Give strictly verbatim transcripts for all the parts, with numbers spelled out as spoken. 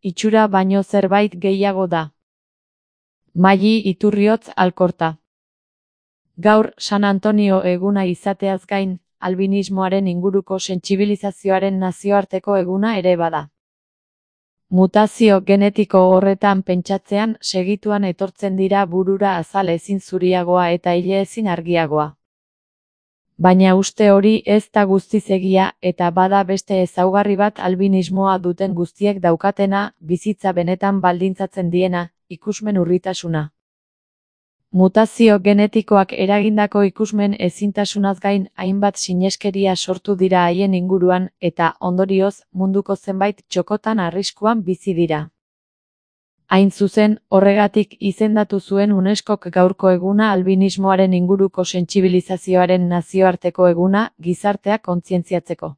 itxura baino zerbait gehiago da. Maiyi Iturriotz Alkorta. Gaur San Antonio eguna izateaz gain, albinismoaren inguruko sentsibilizazioaren nazioarteko eguna ere bada. Mutazio genetiko horretan pentsatzean segituan etortzen dira burura azal ezin zuriagoa eta ile ezin argiagoa. Baina uste hori ez da guztiz egia eta bada beste ezaugarri bat albinismoa duten guztiek daukatena, bizitza benetan baldintzatzen diena, ikusmen urritasuna. Mutazio genetikoak eragindako ikusmen ezintasunaz gain hainbat sineskeria sortu dira haien inguruan eta, ondorioz, munduko zenbait txokotan arriskuan bizi dira. Hain zuzen, horregatik izendatu zuen UNESCOk gaurko eguna albinismoaren inguruko sentsibilizazioaren nazioarteko eguna, gizartea kontzientziatzeko.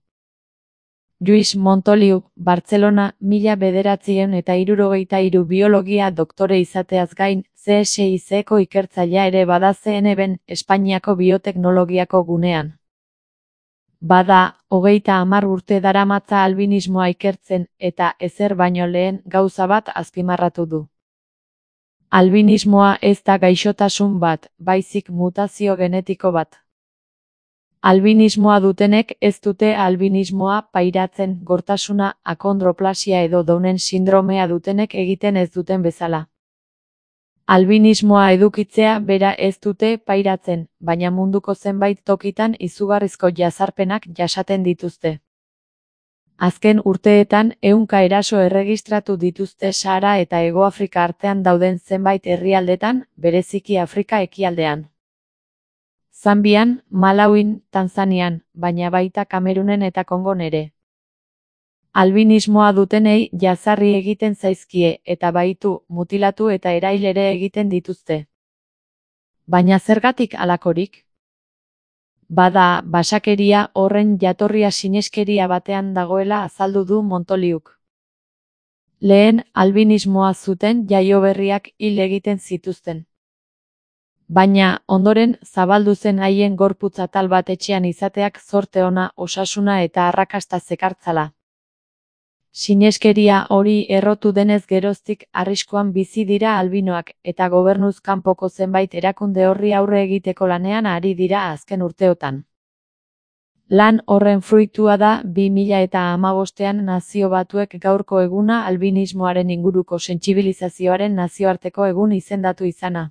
Lluís Montoliu, Bartzelona, mila bederatziehun eta hirurogeita hiru biologia doktore izateaz gain, C S I C-ko ikertzailea ere bada C N B-n, Espainiako bioteknologiako gunean. Bada, hogeita hamar urte daramatza albinismoa ikertzen eta ezer baino lehen gauza bat azpimarratu du. Albinismoa ez da gaixotasun bat, baizik mutazio genetiko bat. Albinismoa dutenek ez dute albinismoa pairatzen, gortasuna, akondroplasia edo Downen sindromea dutenek egiten ez duten bezala. Albinismoa edukitzea bera ez dute pairatzen, baina munduko zenbait tokitan izugarrizko jazarpenak jasaten dituzte. Azken urteetan ehunka eraso erregistratu dituzte Sahara eta Hegoafrika artean dauden zenbait herrialdetan, bereziki Afrika ekialdean. Zambian, Malawin, Tanzanian, baina baita Kamerunen eta Kongon ere. Albinismoa dutenei jazarri egiten zaizkie eta baitu, mutilatu eta erail ere egiten dituzte. Baina zergatik halakorik? Bada, basakeria horren jatorria sineskeria batean dagoela azaldu du Montoliuk. Lehen, albinismoa zuten jaioberriak hil egiten zituzten. Baina, ondoren, zabaldu zen haien gorputz atal bat etxean izateak zorte ona, osasuna eta arrakasta zekartzala. Sineskeria hori errotu denez geroztik arriskuan bizi dira albinoak eta gobernuz kanpoko zenbait erakunde horri aurre egiteko lanean ari dira azken urteotan. Lan horren fruitua da bi mila eta hamabostean Nazio Batuek gaurko eguna albinismoaren inguruko sentsibilizazioaren nazioarteko egun izendatu izana.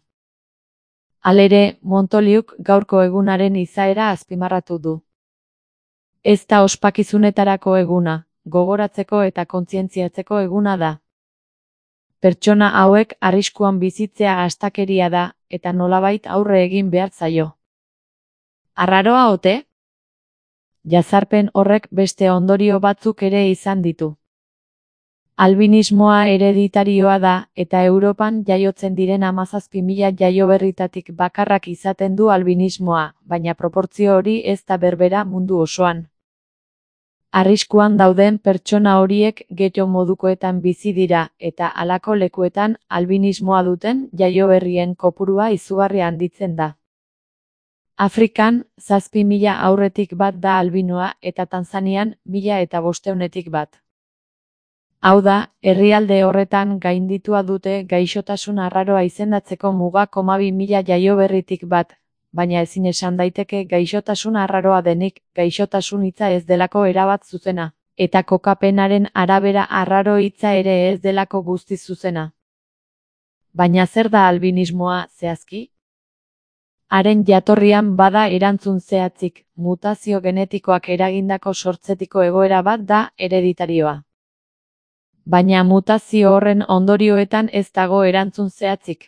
Halere, Montoliuk gaurko egunaren izaera azpimarratu du. Ez da ospakizunetarako eguna, gogoratzeko eta kontzientziatzeko eguna da. Pertsona hauek arriskuan bizitzea astakeria da, eta nolabait aurre egin behar zaio. Arraroa ote? Jazarpen horrek beste ondorio batzuk ere izan ditu. Albinismoa hereditarioa da, eta Europan jaiotzen diren hamazazpi mila jaioberritatik bakarrak izaten du albinismoa, baina proportzio hori ez da berbera mundu osoan. Arriskuan dauden pertsona horiek getxo modukoetan bizi dira eta halako lekuetan albinismoa duten jaioberrien kopurua izugarri handitzen da. Afrikan, zazpi mila aurretik bat da albinoa eta Tanzanian, mila eta bosteunetik bat. Hau da, herrialde horretan gainditua dute gaixotasun arraroa izendatzeko muga koma bi mila jaioberritik bat, baina ezin esan daiteke gaixotasun arraroa denik, gaixotasun hitza ez delako erabat zuzena, eta kokapenaren arabera arraro hitza ere ez delako guztiz zuzena. Baina zer da albinismoa zehazki? Haren jatorrian bada erantzun zehatzik, mutazio genetikoak eragindako sortzetiko egoera bat da hereditarioa. Baina mutazio horren ondorioetan ez dago erantzun zehatzik.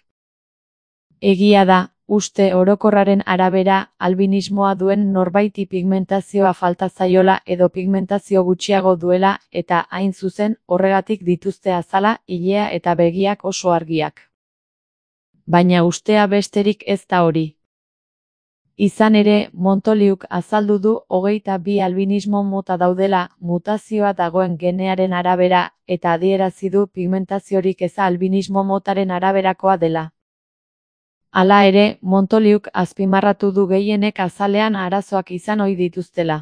Egia da, uste orokorraren arabera, albinismoa duen norbaiti pigmentazioa falta zaiola edo pigmentazio gutxiago duela eta hain zuzen horregatik dituzte azala, ilea eta begiak oso argiak. Baina ustea besterik ez da hori. Izan ere, Montoliuk azaldu du hogeita bi albinismo mota daudela, mutazioa dagoen genearen arabera, eta adierazi du pigmentaziorik eza albinismo motaren araberakoa dela. Hala ere, Montoliuk azpimarratu du gehienek azalean arazoak izan ohi dituztela.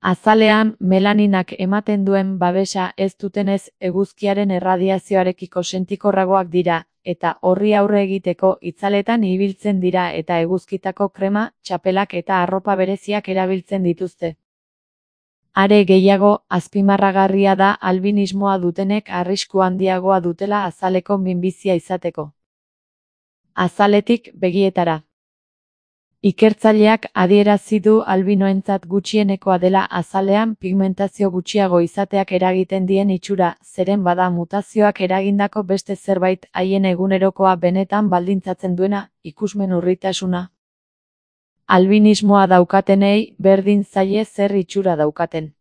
Azalean, melaninak ematen duen babesa ez dutenez eguzkiaren erradiazioarekiko sentikorragoak dira, eta horri aurre egiteko itzaletan ibiltzen dira eta eguzkitako krema, txapelak eta arropa bereziak erabiltzen dituzte. Are gehiago, azpimarragarria da albinismoa dutenek arrisku handiagoa dutela azaleko minbizia izateko. Azaletik begietara. Ikertzaileak adierazi du albinoentzat gutxienekoa dela azalean pigmentazio gutxiago izateak eragiten dien itxura, zeren bada mutazioak eragindako beste zerbait haien egunerokoa benetan baldintzatzen duena, ikusmen urritasuna. Albinismoa daukatenei berdin zaie zer itxura daukaten.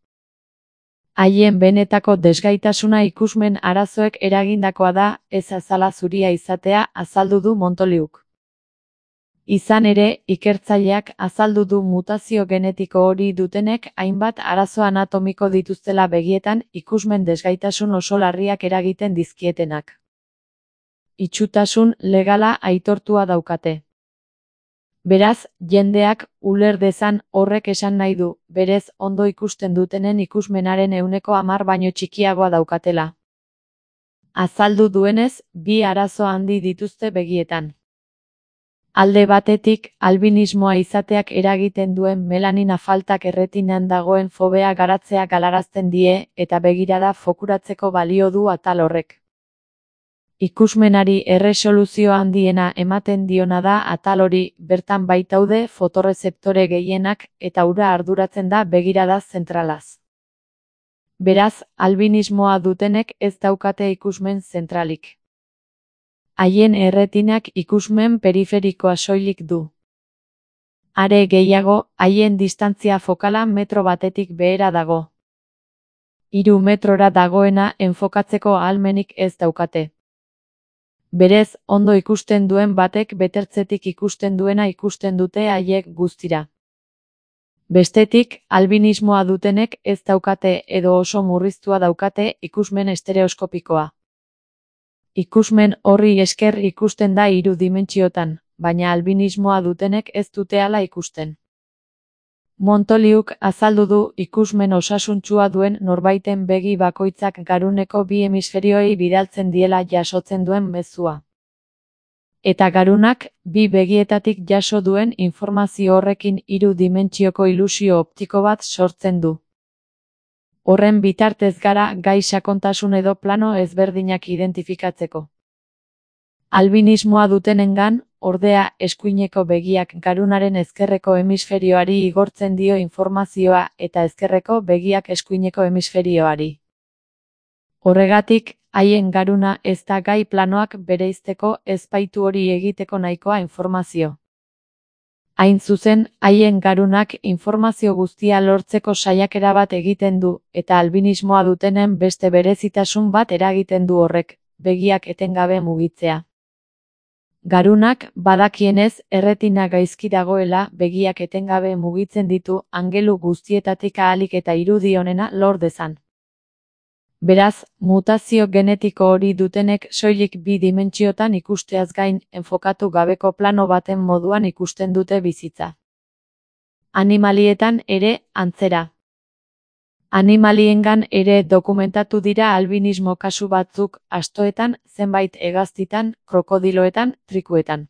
Haien benetako desgaitasuna ikusmen arazoek eragindakoa da, ez azala zuria izatea, azaldu du Montoliuk. Izan ere, ikertzaileak azaldu du mutazio genetiko hori dutenek hainbat arazo anatomiko dituztela begietan ikusmen desgaitasun oso larriak eragiten dizkietenak. Itxutasun legala aitortua daukate. Beraz, jendeak uler dezan horrek esan nahi du, berez ondo ikusten dutenen ikusmenaren ehuneko hamar baino txikiagoa daukatela. Azaldu duenez, bi arazo handi dituzte begietan. Alde batetik, albinismoa izateak eragiten duen melanina faltak erretinan dagoen fobea garatzea galarazten die eta begirada fokuratzeko balio du atal horrek. Ikusmenari erresoluzio handiena ematen diona da atal hori, bertan baitaude fotorezeptore gehienak eta ura arduratzen da begirada zentralaz. Beraz, albinismoa dutenek ez daukate ikusmen zentralik. Haien erretinak ikusmen periferikoa soilik du. Are gehiago, haien distantzia fokala metro batetik behera dago. Hiru metrora dagoena enfokatzeko ahalmenik ez daukate. Berez, ondo ikusten duen batek betertzetik ikusten duena ikusten dute haiek guztira. Bestetik, albinismoa dutenek ez daukate edo oso murriztua daukate ikusmen estereoskopikoa. Ikusmen horri esker ikusten da hiru dimentsiotan, baina albinismoa dutenek ez dute hala ikusten. Montoliuk azaldu du ikusmen osasuntsua duen norbaiten begi bakoitzak garuneko bi hemisferioei bidaltzen diela jasotzen duen mezua. Eta garunak, bi begietatik jaso duen informazio horrekin hiru dimentsioko ilusio optiko bat sortzen du. Horren bitartez gara gai sakontasun edo plano ezberdinak identifikatzeko. Albinismoa dutenengan, ordea, eskuineko begiak garunaren ezkerreko hemisferioari igortzen dio informazioa eta ezkerreko begiak eskuineko hemisferioari. Horregatik, haien garuna ez da gai planoak bereizteko ezpaitu hori egiteko nahikoa informazio. Hain zuzen, haien garunak informazio guztia lortzeko saiakera bat egiten du, eta albinismoa dutenen beste berezitasun bat eragiten du horrek, begiak etengabe mugitzea. Garunak, badakienez, erretina gaizki dagoela, begiak etengabe mugitzen ditu, angelu guztietatik ahalik eta irudi onena lor dezan. Beraz, mutazio genetiko hori dutenek soilik bi dimentsiotan ikusteaz gain, enfokatu gabeko plano baten moduan ikusten dute bizitza. Animalietan ere, antzera. Animaliengan ere dokumentatu dira albinismo kasu batzuk, astoetan, zenbait hegaztitan, krokodiloetan, trikuetan.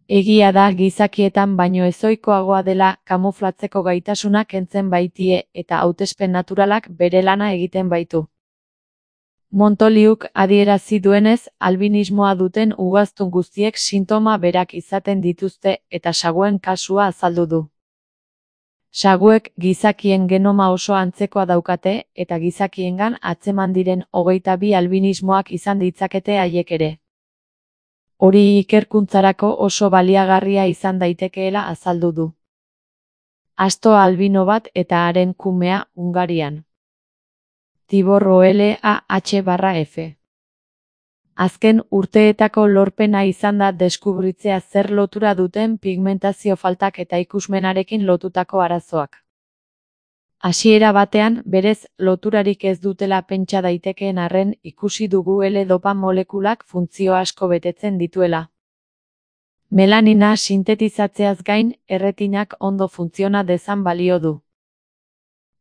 Egia da gizakietan baino ezohikoagoa dela kamuflatzeko gaitasunak kentzen baitie eta hautespen naturalak bere lana egiten baitu. Montoliuk adierazi duenez, albinismoa duten ugaztun guztiek sintoma berak izaten dituzte eta saguen kasua azaldu du. Saguek gizakien genoma oso antzekoa daukate eta gizakiengan atzeman diren hogeita bi albinismoak izan ditzakete haiek ere. Hori ikerkuntzarako oso baliagarria izan daitekeela azaldu du. Asto albino bat eta haren kumea Hungarian. Tibor O L A H barra F. Azken urteetako lorpena izan da deskubritzea zer lotura duten pigmentazio faltak eta ikusmenarekin lotutako arazoak. Hasiera batean, berez, loturarik ez dutela pentsa daitekeen arren ikusi dugu L-dopa molekulak funtzio asko betetzen dituela. Melanina sintetizatzeaz gain, erretinak ondo funtziona dezan balio du.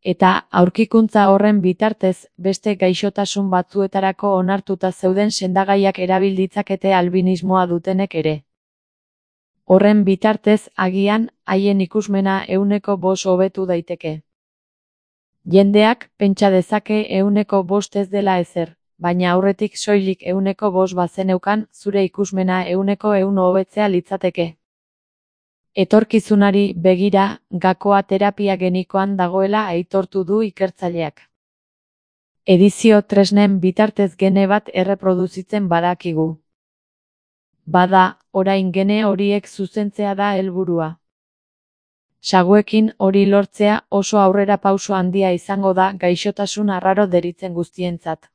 Eta aurkikuntza horren bitartez, beste gaixotasun batzuetarako onartuta zeuden sendagaiak erabil ditzakete albinismoa dutenek ere. Horren bitartez, agian, haien ikusmena ehuneko bost hobetu daiteke. Jendeak pentsa dezake ehuneko bost ez dela ezer, baina aurretik soilik ehuneko bost bazeneukan, zure ikusmena ehuneko ehun hobetzea litzateke. Etorkizunari begira, gakoa terapia genikoan dagoela aitortu du ikertzaileak. Edizio tresnen bitartez gene bat erreproduzitzen badakigu. Bada, orain gene horiek zuzentzea da helburua. Saguekin hori lortzea oso aurrerapauso handia izango da gaixotasun arraro deritzen guztientzat.